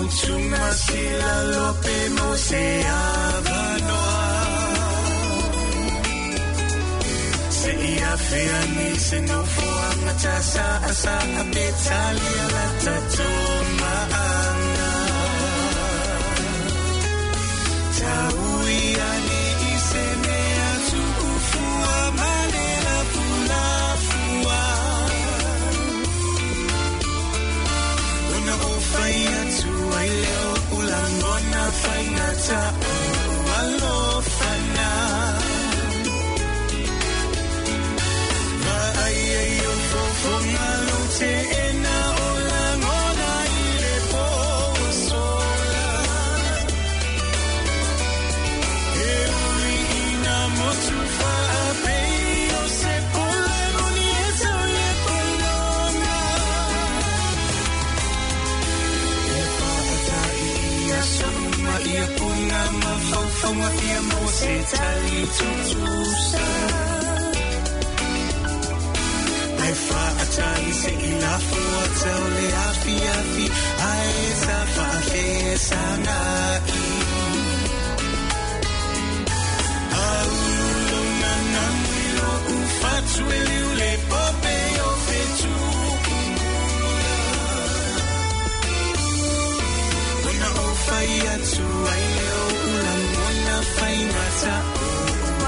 Motu masila lope mo se avanoa. Se ia fea ni se nofo anga sa asa a petalia la tatomaanga. Tau ia ni i se mea tuufua manela pulafua. Ona o whai atu ai leo ulangona whaingata o alofana. Vaai ai o fofonga lo te ena o langona i le po sola. E ui ina motu whaapei o se pole moni e tau le polonga. E whaatai ia sauma ia punga mawhauwhaunga ia mo se tali tutusa. Ai whaatai se i lafua tau le afi afi, ai sa whaafesanga i. Aululo na namwilo ufatu ele ule pope o fetu kumula. Ona o whai atu ai leo ula mona whai ngata o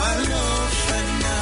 alofana.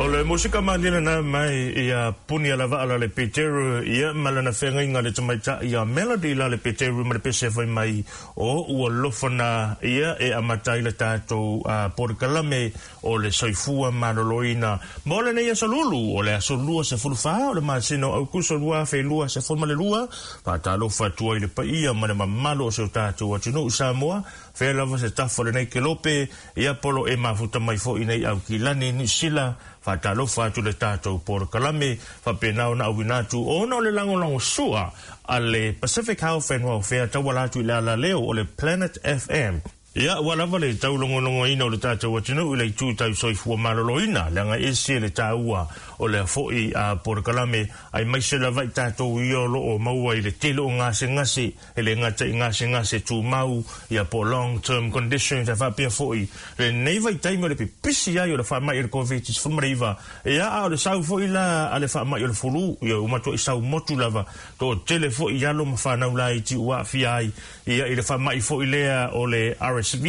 O le musika manina na mai ia puni ala va'a la le Peteru ia malana whengainga le tamaita ia Melody la le Peteru ma le pese whai mai o ua lofana ia e amatai le tātou porokalame o le soifua maloloina. Mo le nei aso lulu o le aso lua se fuluwha o le masino au kuso lua fe lua se fulma le lua whātalofa tua i le paia ma le mamalo o se o tātou atunu u Samoa whea lava se tafo le nei kelope ia polo e mafuta mai fo i nei au kilani ni sila whātalofa atu le tātou porokalame whapenao na awinatu o na o le langolango sua a le Pacific Health and Welfare tauala atu i le ala leo o le Planet FM. Ia, ua lava le taulogologo ina o le tatou atunuu i le itu tau soifua maloloina, leaga ese le tāua o lea fo'i a porokalame ai maise lava i tatou ia o loo maua i le tele o gasegase e le gata i gasegase tumau ia po long term conditions e faapea fo'i lenei vaitaimi o le pipisi ai o le faama'i o le COVID-19 ia a o le sau fo'i la a le faama'i o le fulu ia ua matua'i sau motu lava to'atele fo'i alo ma fanau laiti ua aafia ai ia i le faama'i fo'i lea o le RSV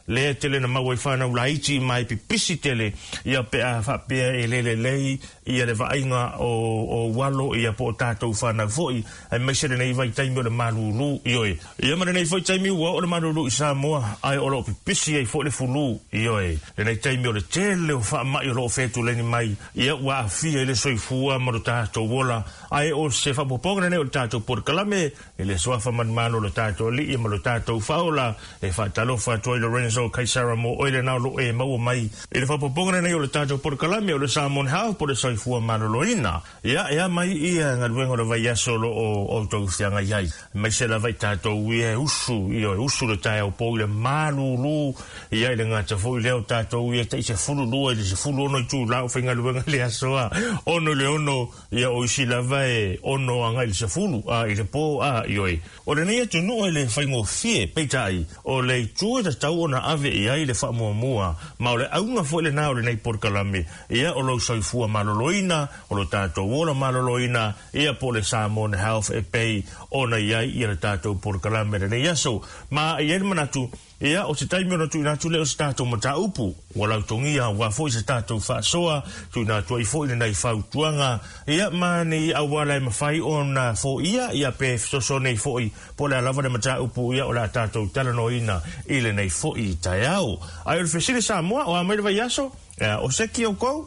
lea tele na maua i fanau laiti mai pipisi tele ia pe a faapea e lelelei ia le vaaiga o ualo ia po o tatou fanau fo'i ai maise lenei vaitaimi o le malūlū ioe ia ma lenei foi taimi ua o le malūlū i Samoa ai o loo pipisi ai fo'i le fulu ioe lenei taimi o le tele o faama'i o loo fetuleni mai ia ua aafia i le soifua ma lo tatou ola ai o se faapopoga lenei o le tatou porokalame i le suafa manumalo o le tatou ali'i ma lo tatou faaola e faatalofa atu ai Lorenzo Kaisara mo oe lenā o loo e maua mai i le faapopoga lenei o le tatou porokalame o le Samoan Health po le soifua maloloina ia ea mai ia galuega o le vaiaso o loo outou feagai ai maise lava i tatou ia e usu ia e usu le taeao pou i le malūlū ia i le gata fo'i lea o tatou ia ta'i 12 i le 16 itulā o faigaluega le asoa 6 i le 6 ia o isi lava e 6 agai i le 10 a i le pō a ioe. O lenei atunuu e le faigofie peitai o le itu itu e tatau ona ave i ai le faamuamua, ma o le auga foi lenā o lenei polokalame, ia o lou soifua maloloina, o lo tatou ola maloloina, ia po o le Samoan Health e pei ona i ai ia le tatou polokalame lenei aso. Ma e i ai le manatu, ia o se taimi ona tuuina atu lea o se tatou mataupu ua lautogia aua foi se tatou faasoa, tuuina atu ai foi lenei fautuaga, ia ma ni auala e mafai ona foia, ia pe fesoasoani ai foi po o le a lava le mataupu, ia o le a tatou talanoaina i lenei foi taeao. Ae o le fesili Samoa, o a mai le vaiaso? Ia, o seki oukou?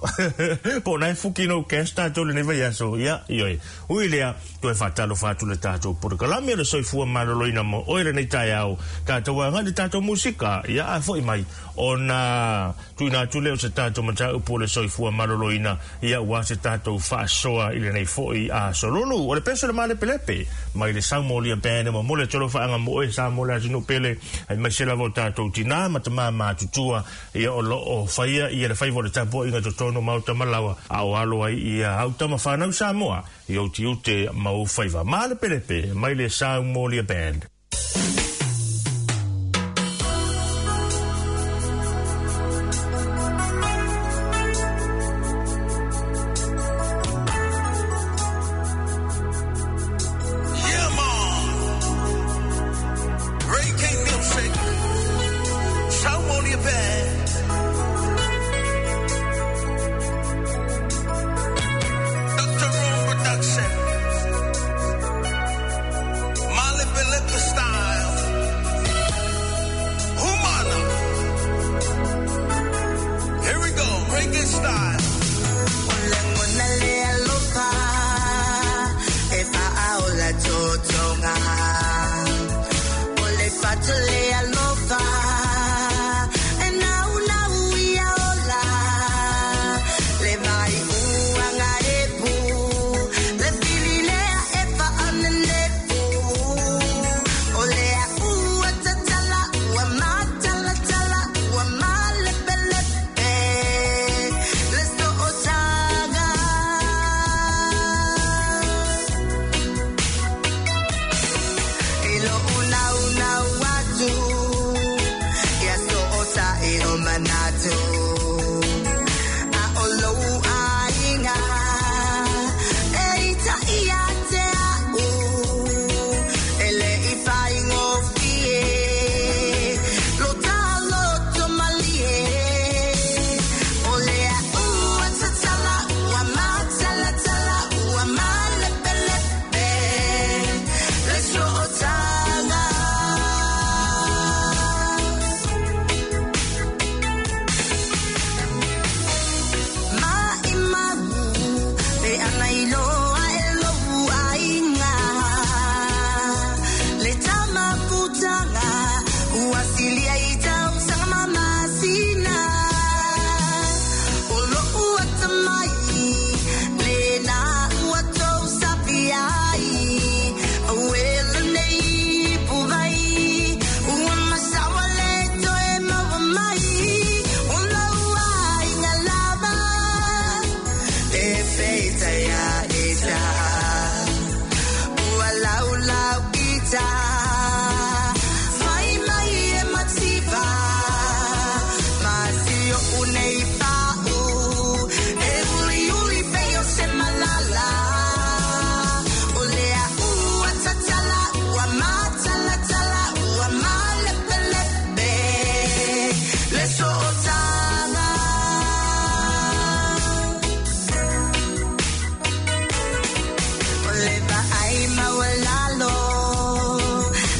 Po o na e fuki no cash tatou lenei vaiaso? Ia, ioe. Ui lea, toe faatalofa atu le tatou polokalame o le soifua maloloina mo oe lenei taeao. Tatou agai le tatou musika, ia a foi mai, ona tuuina atu lea o se tatou mataupu o le soifua maloloina, ia aua se tatou faasoa i lenei foi aso lulu. O le peso le malepelepe mai le Saumolia Band e momoli atu alofaaga mo oe Samoa le atunuu pele, aemaise lava o tatou tinā ma tamā matutua, ia o lo o faia ia le faiva o le tapuaiga totonu o maota ma laoa, a o alo ai ia au tama whanau Samoa i ou tiute ma ou faiva. Malepelepe mai le Saumolia Band. Yeah, man. Ray King Music. Saumolia Band. Dr. Room Production. Malepelepe style. Humana. Here we go. Reggae style. O lagona le alofa e faaola totoga. O le fatu le alofa e naunau ia ola. Le vai uaga epu, le fili lea e faanenefu. O lea ua tatala, ua matalatala, ua malepelepe le sootaga. I lou naunau atu, ia sootaʻi o manatu. A o lou aiga, e itaʻi ia te a'u. E leʻi faigofie, lo ta loto malie. O lea ua tatala, ua matalatala, ua malepelepe le sootaga. Maʻimau, pe ana iloa e lou aiga. Le tamafutaga, ua silia i tausaga ma masina. O lou atamai, lena ua tou sapi ai. Aue lenei puvai, ua masaua le toe maua mai. O lou aiga lava, e feita ia ita. Ua laulau ita, fai mai e mativa. Ma si o unei pa'u, e uliuli pei o se malala. O lea ua tatala, ua matalatala, ua malepelepe le sootaga. O le vaai maualalo,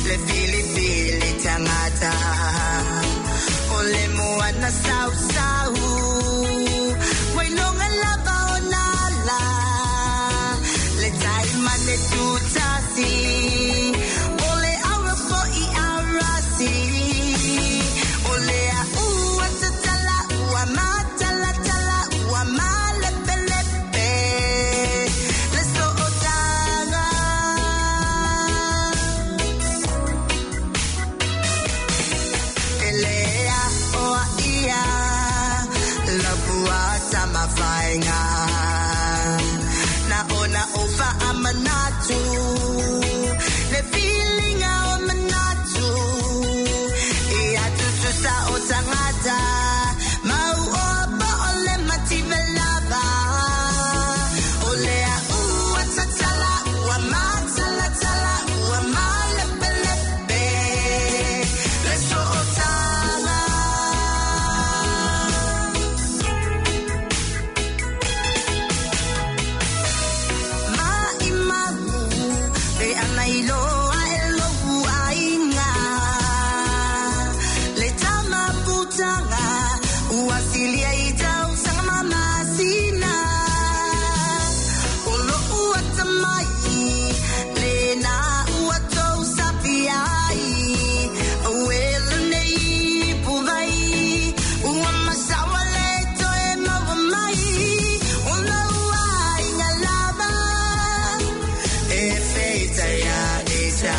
le filifili tagata. O le moana sausau, ua iloga lava ona ala. Le taimane tutasi, o le aura foʻi arasi. O lea ua tatala, ua matalatala, ua malepelepe le sootaga. E le aʻoa ia, lapua tamafaiga. Na ona ou faamanatu, le filiga o manatu. Ia mafutaga ua silia i tausaga ma masina. O lo'u atamai lena ua tou sapi ai ue lenei puvai ua masaua le toe maua mai o lou aiga lava e feitaia ita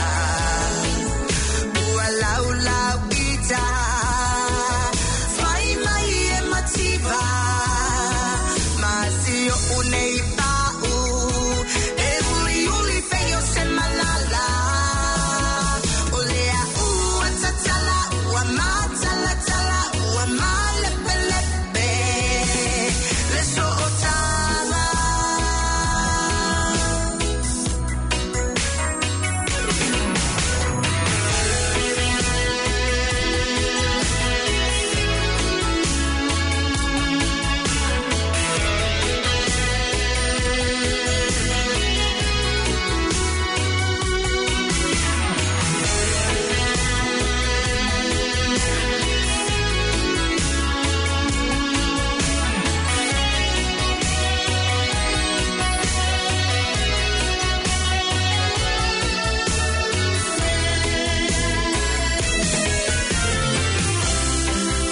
ua laulau ita fai mai e mativa ma si o unei pa'u e uli uli pei o se malala o lea ua tatala ua matalatala ua malepelepe le sootaga.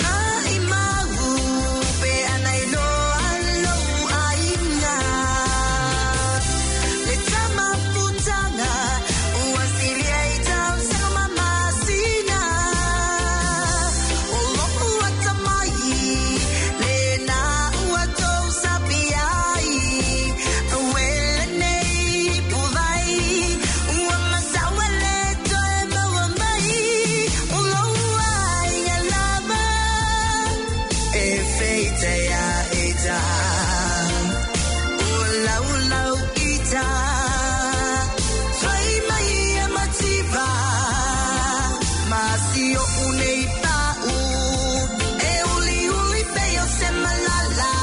Mai mau pe anai loa lou aiga le tamafutaga ua silia i tausaga ma masina. O lo'u atamai lena ua tou sapi ai ue lenei puvai ua masaua le toe maua mai o lou aiga lava e feitaia ita ua laulau ita fai mai e mativa ma si o unei pa'u e uli uli pei o se malala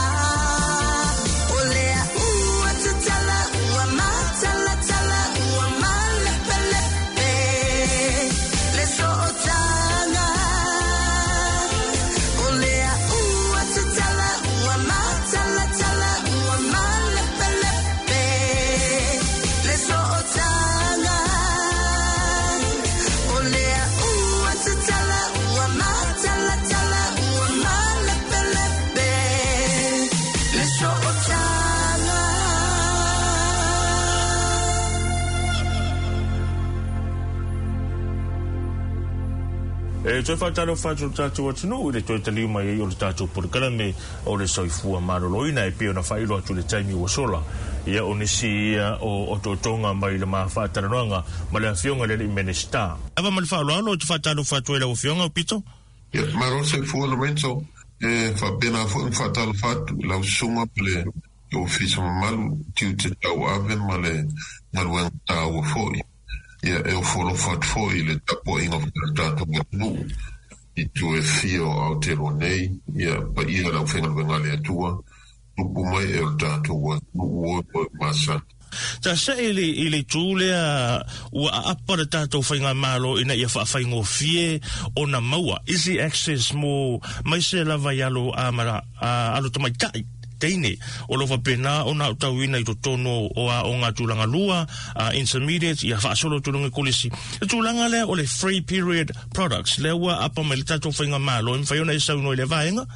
o lea ua tatala ua matalatala ua malepelepe le sootaga. O lea ua tatala ua matalatala ua malepelepe le sootaga. O lea ua tatala ua matalatala ua malepelepe le sootaga. E toe whātalo whātalo tātou atunuu i le toe taliu mai ai o le tātou polokalame o le soifua maloloina e pei ona faailoa atu le taimi ua sola. Ia o nisi ia o ototonga mai le mafatalanoaga ma le afioga le alii Minista. Ava ma le faaaloalo o te whātalo whātua i lau afioga o Pito. Ia, malo soifua Lorenzo, e faapena foi ona faatalofa atu i lau susuga ma le ofisa mamalu tiute tauave ma le galuega taua foi. Ia, e ofo alofa atu foi i le tapuaiga o le tatou atunuu i itu e fia o Aotearoa nei, ia paia le aufaigaluega a le Atua, tupu mai e o le tatou atunuu o e masani. Ta se i le itu lea ua aapa le tātou faigamalo ina ia faafaigofie ona maua easy access mo mai se lava i alo a mara a alo tamaitai teine o lo faapena ona aotauina i totonu o aoga tulaga lua intermediate ia faasolo tulaga kolisi. Le tulaga lea o le free period products lea ua aapa mai le tatou faigamalo e mafai ona e saunoa i le vaega.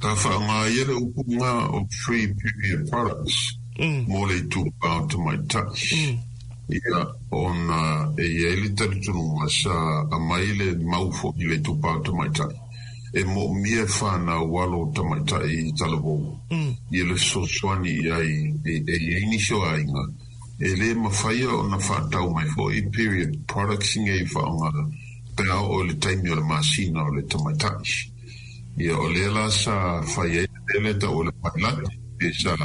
Ka faaaogā ia le upuga o free period products mo le itupa o tamaitai. Ia, ona e iai le talitonuga sa aumai le mau fo'i i le itupa o tamaitai. E moomia e whānau alo tamaitai i talavou. Ia le fesoasoani i ai e iai nisi o aiga. E lē mafaia ona faatau mai fo'i period products nei faaaogā pe a oo i le taimi o le masina o le tamaitai. Ia o lea la sa fai ai le mea lea ta'u o le pailate pe sa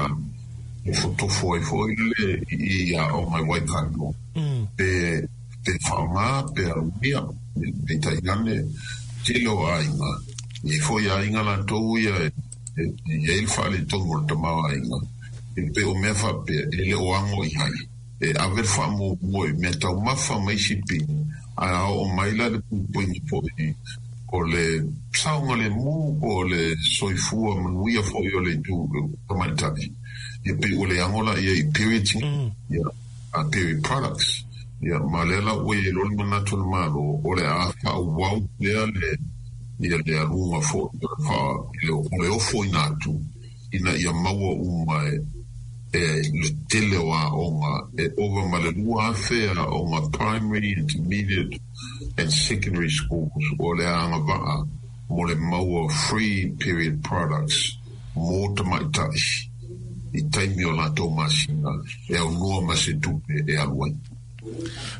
tofotofo ai fo'i le i aoga i Waikato. Pe faaaogā pe aumia peitai ane tele o aiga. I foi aiga latou ia e iai le faaletonu o le tamaoaiga. E pei o mea faapea e le o ago i ai. E ave le faamuamua i mea taumafa ma isi pini, ae a oo mai la le puipuiga fo'i O le saogalemu po o le soifua manuia foi o le itu tamaitai, ia pei ua le ago laia i periods nei, ia, a period products. Ia, ma lea la ua i ai loa le manatu o le Malo, o le a faaauau pea le, ia le aluga foi o le faa, o le ofoina atu ina ia maua uma e e le tele o aoga e ova ma le 2,000 aoga primary, intermediate and secondary schools o le a agavaa mo le maua free period products mo tamaitai i taimi o latou masina e aunoa ma se tupe e alu ai.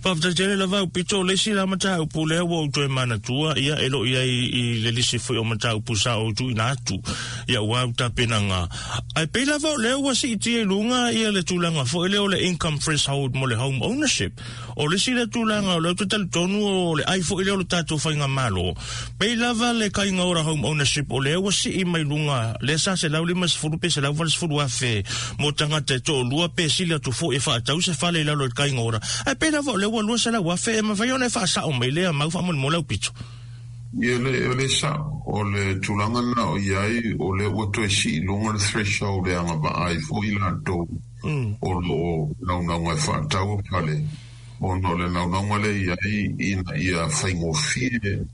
Faafetai tele lava au pito, o le isi la mataupu lea ua ou toe manatua, ia e loo i ai i le lisi foi o mataupu sa ou tuuina atu ia ua au tapenaga. Ae pei lava o lea ua siitia i luga ia le tulaga foi lea o le income threshold mo le home ownership. O le isi lea tulaga o lea ou te talitonu o le ai foi lea o le tatou faigamalo. Pei lava le kaiga ora home ownership o lea ua sii mai luga lea sa 150 pe 180 afe mo tagata e toalua pe sili atu foi e faatau se fale i lalo i le kaiga ora. Ae pei lava o lea ua 200 afe e mafai ona e faasao mai lea mau faamolemole au pito. Ia le, o le sao, o le tulaga lena o i ai, o lea ua toe sii i luga le threshold e agavaa ai foi latou o lo o naunauga e faatau fale, ona o le naunauga lea e i ai ina ia faigofie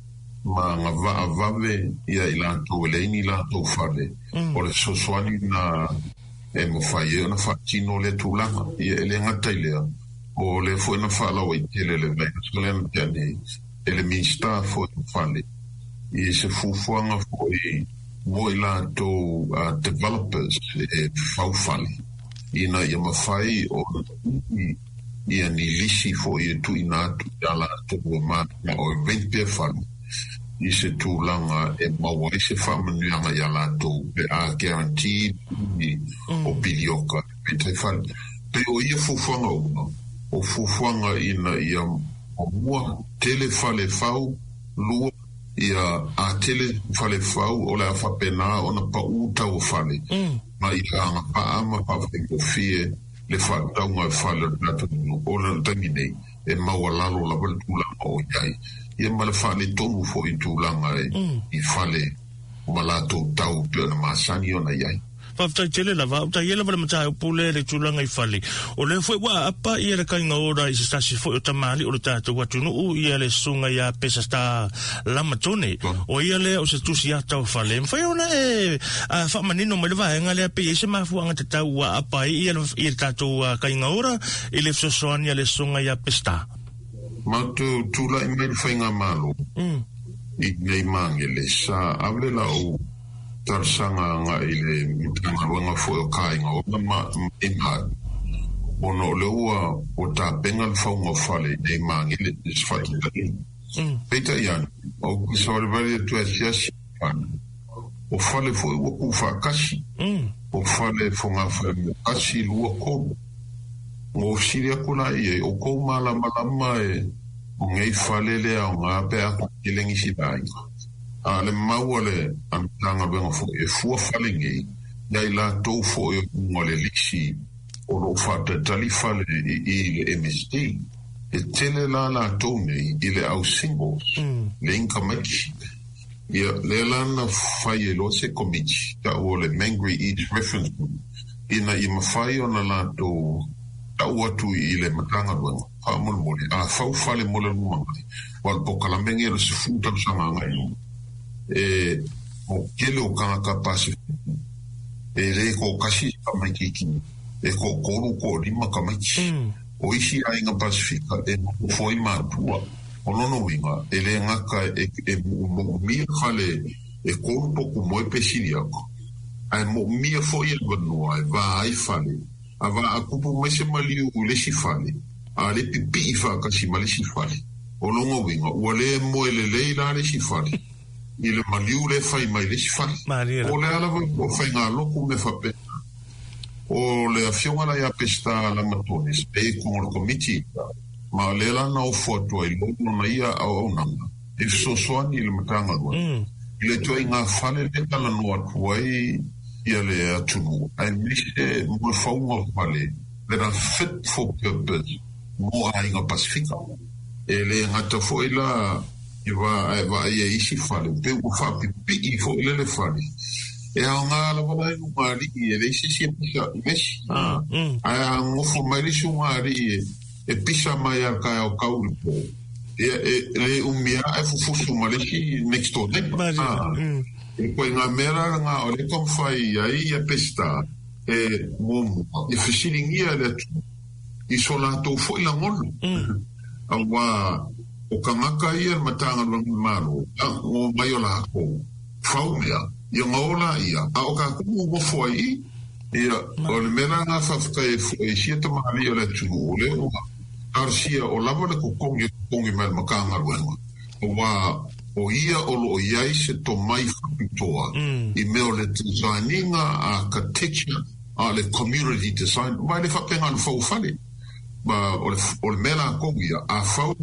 ma agavaa vave ia i latou e leai ni latou fale, o le fesoasoani lena e mafai ai ona faatino lea tulaga. Ia e le gata i lea, o lea foi na faalauaitele le vaiaso lea na tea nei e le Minisita foi o Fale i se fuafuaga foi mo i latou developers e fau fale ina ia mafai ona ui ia ni lisi foi e tuuina atu ia latou e mananao e rent pea fale i se tulaga e maua ai se faamanuiaga ia latou pe a guarantee le umi o pilioka e rent ai fale. Pei o ia fuafuaga uma, o fuafuaga ina ia muamua tele fale fau, lua, ia a tele fale fau o le a faapena ona paʻū tau o fale ma ia agavaa ma faafaigofie le faatauga o fale o le tatou atunuu. O le taimi nei, e maualalo lava le tulaga o i ai, ia ma le faaletonu foi i tulaga i fale ma latou tau e pei ona masani ona i ai. Faafetai tele lava. Ou taia lava le mataupu lea i le tulaga i fale. O lea foi ua aapa ia le kaiga ora i se tasi foi o tamalii o le tatou atunuu, ia le susuga ia Peseta Lamatone. O ia lea o se tusi ata o fale. E mafai ona e faamanino mai le vaega lea pe i ai se mafuaaga tatau ua aapa ai ia le tatou kaiga ora i le fesoasoani a le susuga ia Peseta. Matou tulai mai le Faigamalo i nei Magele, sa ave lau talosaga agai i le Matagaluega foi o Kāinga Ola ma MHAT, ona o lea ua ua tapena le fauga o fale i nei Magele i se faataitaiga. Peitai ane, ou te savalivali atu e asiasi i fale, o fale foi ua tuufaatasi, o fale fogafale tasi, lua, tolu. Na ou fesili atu la i ai, ʻOukou malamalama e o nei fale le aoga pe a toatele nisi aiga? A o le mau a le Matagaluega foi, e fua fale nei ia i latou foi o i luga o le lisi o lo o faatalitali fale i i le MSD. E tele la latou nei i le au singles, leai ni tamaiti. Ia, lea la na fai ai loa se komiti, ta'u o le Mangere East Reference Group, ina ia mafai ona latou ta'u atu i le Matagaluega, faamolemole, a fau fale mo le lumanai, aua o le polokalame lenei o le 10 tausaga agai i luma, e, o tele o tagata Pasefika, e le toatasi se tamaitiiti, e toatolu, toalima tamaiti. O isi aiga Pasefika e nofo ai matua. O lona uiga, e le gata e moomia fale e tolu potu moe pe sili atu, ae moomia foi avanoa e va ai fale, a va a tupu mai se maliu i le isi fale, a le pipii faatasi ma le isi fale. O lona uiga, ua le moe lelei la le isi fale i le maliu lea e fai mai le isi fale. Po o le a lava ua faigalotu mea faapena. O le afioga la ia Peseta Lamatone, e i totonu o le Komiti, Ma o lea la na ofo atu ai loa lona ia auaunaga e fesoasoani i le Matagaluega i le ituaiga fale lea e talanoa atu ai ia le atunuu aemaise mo le fauga o fale that are fit for purpose mo aiga Pasefika. E le gata foi la I va ae vaai ai isi fale, pei ua faapipii foi lea le fale. E aoga lava la i ugaalii, e leai se isi e pisa i le isi. Ae a nofo mai le isi ugaalii e pisa mai lava i le taeao tau i le po, ia e le umi lava ae fufusu ma le isi next door neighbor. O le ituaiga mea la lena o lea e taumafai ai ia Peseta e muamua ia fesiligia e le atunuu i so latou foi lagona. Aua o tagata ia i le Matagaluega a le Malo, o omai o latou fau mea, ia ona o laia, a o tatou ua nofo ai i i. Ia, o le mea la lena faafetai ai foi i sia tamalii o le atunuu, o lea ua talosia o lava le totogi e totogi mai e le Matagaluega, aua o ia o lo o i ai se tomai faapitoa i mea o le design ina, architecture, a o le community design, aua e le faapena ona fau fale. Ma o le, o le mea latou ia, a fau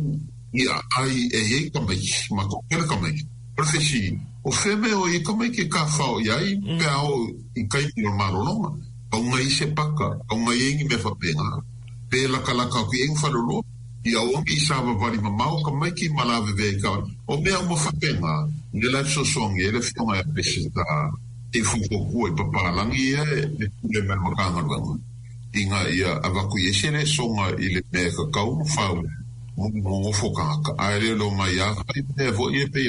i aai e i ai tamaiti, ma toatele tamaiti, o le fesili, o fea mea o i ai tamaiti e tafao i ai pe a oo i taimi o le malologa? Tau na i ai se paka, tau na i ai ni mea faapena, pe latalata atu i ai ni faleoloa, i aua ne i savavali mamao tamaiti ma lavevea i taavale. O mea uma faapena, lea la e fesoasoani ai le Afioga ia Peseta i fuafuatua i papalagi ia e pule mai le Matagaluega. Ina ia avatu i ai se lesona i le mea e tatau ona fau mo le nonofo tagata, ae le o mai a fai mea foi ia pei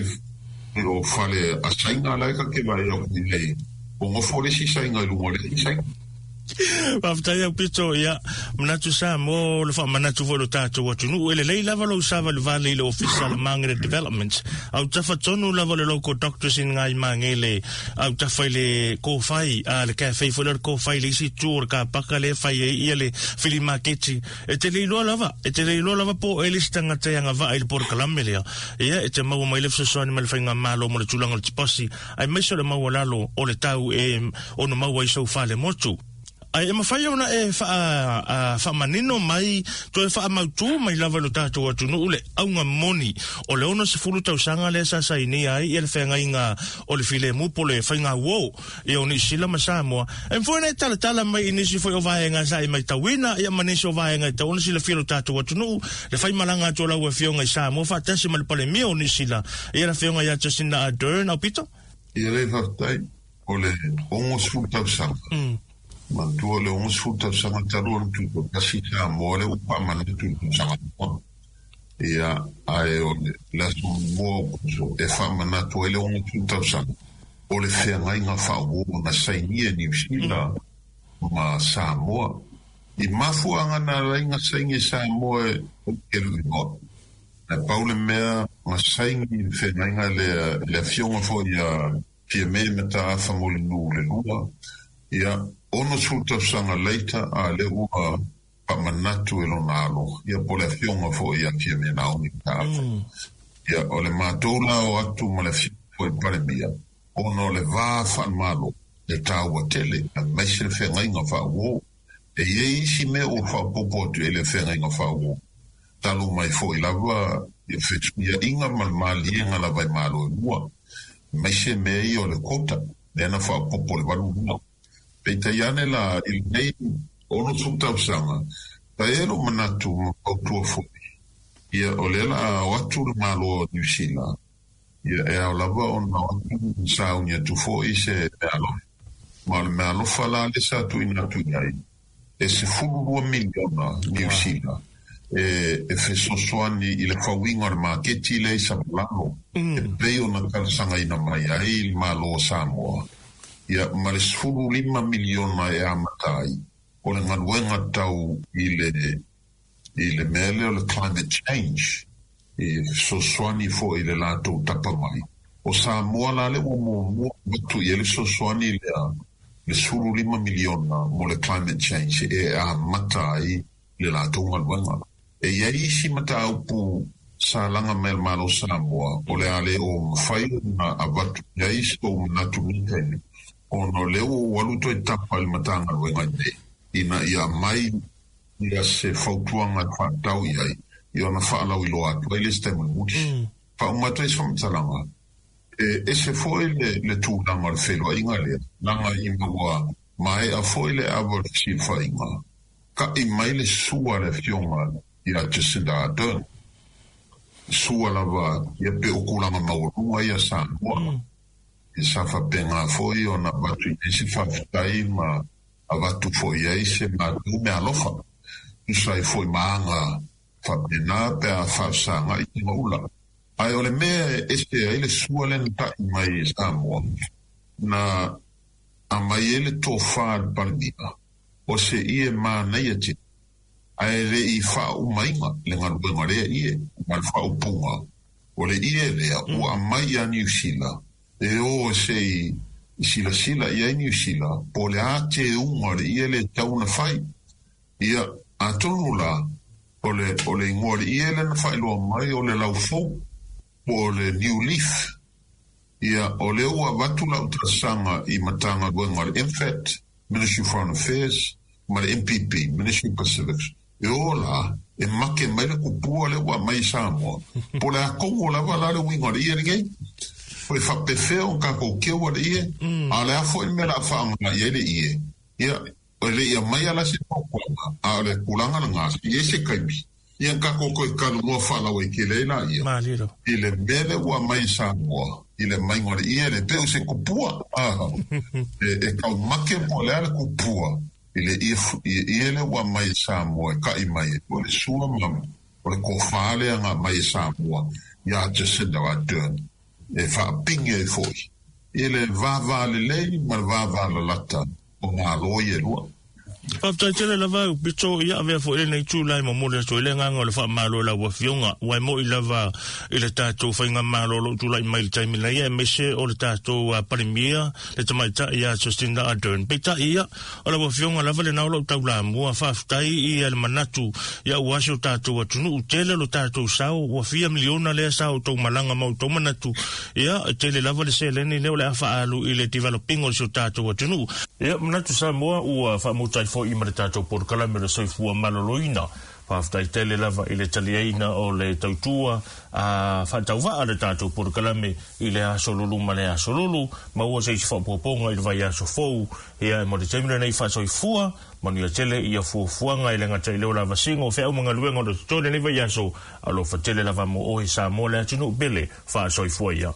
o fale a Saina la e ta te vaai atu i ai, o nofo le isi Saina i luga o le isi Saina. Faafetai au Pito, ia, manatu sa mo le faamanatu foi lo tatou atunuu. E lelei lava lou savalivali i le ofisa o le Magele Development. Autafa tonu lava le local doctors in Ngai Magele autafa i le kōwhai, a le cafe foi lea o le kōwhai i le isi itu o le kāpaka lea e fai ai ia le filimaketi. E te le iloa lava, e te le iloa lava po o e le isi tagata e agavaa i le polokalame lea. Ia, e te maua mai le fesoasoani mai le faigamalo mo le tulaga o le tiposi, aemaise o le maualalo o le tau e ono maua ai sou falemotu. Ae e mafai ona e faa, faamanino mai, toe faamautū mai lava i lo tatou atunuu le auga moni o le 60 tausaga lea sa sainia ai ia le feagaiga o le filemu po o le faigauo ia o Niu Sila ma Samoa. E mafai ona e talatala mai i nisi foi o vaega sa e maitauina ia ma nisi o vaega e tatau ona silafia e lo tatou atunuu le faimalaga atu o lau Afioga i Samoa faatasi ma le Palemia o Niu Sila ia le Afioga ia Jacinda Ardern. Aupito? Ia lei faafetai. O le 60 tausaga, manatua o le 60 tausaga talu ona tutoatasi Samoa lea ua faamanatu i le tausaga muamua. Ia, ae o le aso muamua o Aokuso e faamanatu ai le 60 tausaga o le feagaiga faauo na sainia e Niu Sila ma Samoa. I mafuaaga na ala ai na saini e Samoa e kelu igoa. Ae pau le mea na saini i le feagaiga lea i le afioga foi ia Fiame Mataafa Mulinuu le lua, ia, 60 tausaga later a lea ua faamanatu e lona alo, ia po o le afioga foi ia Fiame Naomi Mataafa. Ia, o le matou la o atu ma le afioga foi i le Palemia, ona o le va faale-Malo e taua tele, aemaise le feagaiga faauo. E i ai isi mea ua faaopoopo atu i ai le feagaiga faauo, talu mai foi lava i le fesuiaiga ma le maliega lava i Malo e lua, aemaise mea ia o le quota, lea na faaopoopo i le 82. Peitai ane la, i lenei 60 tausaga, sa i ai lou manatu ma fautua foi, ia o lea la a o atu le Malo o Niu Sila, Ia, e ao lava ona o atu ma sauni atu foi se meaalofa. Ma o le meaalofa la lea sa tuuina atu i ai, e 12 miliona Niu Sila e fesoasoani i le fauiga o le maketi lea i Savalalo, e pei ona talosagaina mai ai le Malo o Samoa, ia, ma le 15 miliona e amata ai o le galuega tau i le i le mea lea o le climate change, e fesoasoani foi i le latou tapa mai. O Samoa la lea ua muamua avatu i ai le fesoasoani lea, le 15 miliona mo le climate change e amata ai le latou galuega. E i ai isi mataupu sa laga mai e le Malo o Samoa o le a le o mafai ona avatu i ai se tou manatu i lenei taimi, ona o lea ua ou alu toe tapa i le Matagaluega nei ina ia aumai ia se fautuaga e faatatau i ai, ia ona faalauiloa atu ai le isi taimi mulimuli. Faauma atu ai se faamatalaga, e ese foi le tulaga o le feiloaiga lea, leaga ina ua maea foi le ava o le fesilafaiga, ta'i mai le sua a le Afioga ia Jacinda Ardern. sua lava ia pe o kulaga maualuga ia Samoa. E sa faapena foi ona avatu i ai se faafetai ma avatu foi i ai se matou meaalofa. Tusa ai foi ma aga faapena pe a faafesagai tagaula. Ae o le mea e ese ai le sua lea na ta'i mai e Samoa, na aumai ai le tofa a le Palemia, o se ie manaia tele, ae le i faaumaina le galuega o lea ie, ma le faaupuga, o le ie lea ua aumai ia Niu Sila, e o se i silasila i ai Niu Sila, po o le a teuga o le ie lea e tatau ona fai. Ia, atonu la, o le, o le igoa o le ie lea na faailoa mai o le laufou, po o le new leaf. Ia, o lea ua avatu lau talosaga i Matagaluega o le MFAT, Ministry of Foreign Affairs, ma le MPP, Ministry of Pacifics, e o la, e make mai le kupua lea ua aumai i Samoa, po o le a tonu lava la le uiga o le ie lenei. Po e faapefea ona tatou keua le ie, a o le a foi le mea o le a faaaoga i ai le ie, ia, e le i aumaia la se fautuaga, a o le tulaga lena, se i ai se taimi, ia na tatou toe talanoa faalauaitele ai laia i le mea lea ua aumai i Samoa, i le aumaiga o le ie lea, pei o se kupua, e taumate po o le a le kupua i le ie lea ua aumai e Samoa e ta'i mai ai, o le sua ma o le tofa lea na aumai e Samoa ia Jacinda Ardern e faapigi ai foi i le vava lelei ma le vava lalata o Malo ia e lua. Faafetai tele lava au pito ia avea foi lenei tula e momoli atu ai le agaga o le faamalo i lau Afioga, ua e mo'i lava i le tatou faigamalo o lo o tulai mai i le taimi nei, aemaise o le tatou Palemia, le Tamaitai ia Jacinda Ardern. Peitai ia, o lau Afioga lava lena o lou taulamua, faafetai i le manatu ia ua si o tatou atunuu, tele lo tatou sao, ua fia miliona lea sa outou malaga ma outou manatu, ia, e tele lava le seleni lea o le a faaalu i le developing o si o tatou atunuu. Ia, manatu Samoa ua faamuta ai foi ma le tatou polokalame o le soifua maloloina. Faafetai tele lava i le taliaina o le tautua a faatauvaa le tatou polokalame i le aso lulu ma le aso lulu. Maua se isi faaopoopoga i le vaiaso fou. Ia, e mo le taimi lenei faasoifua, manuia tele ia fuafuaga e le gata i le ola vasiga o feau ma galuega o le totoe lenei vaiaso. Alofa tele lava mo oe Samoa le atunuu pele. Faasoifua ia.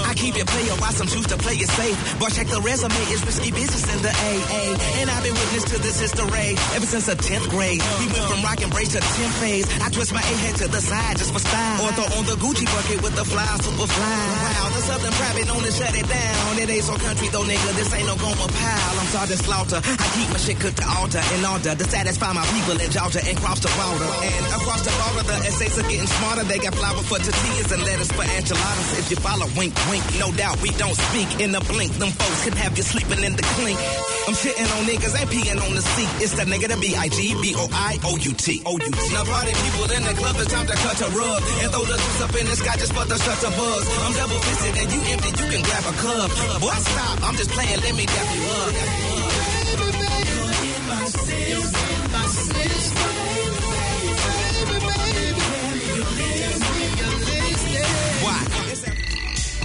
I keep it player, why some choose to play it safe. Boy, check the resume, it's risky business in the AA. And I've been witness to this history ever since the 10th grade. We went from rock and brace to 10 phase. I twist my A head to the side just for style. Or throw on the Gucci bucket with the fly, super fly. Wow, the Southern private known to shut it down. It ain't so country though, nigga. This ain't no Goma pile. I'm Sergeant Slaughter. I keep my shit cooked to altar in order to satisfy my people in Georgia and cross the border. And across the border, the essays are getting smarter. They got flour for tortillas and lettuce for enchiladas. If you follow, wink, wink. No doubt we don't speak in a blink. Them folks could have you sleeping in the clink. I'm shitting on niggas and peeing on the seat. It's the nigga, the B-I-G-B-O-I-O-U-T. O-U-T. Now party people in the club, it's time to cut a rug. And throw the juice up in the sky just for the shutter buzz. I'm double fisted and you empty, you can grab a cup. Boy, stop, I'm just playing, let me dap you up.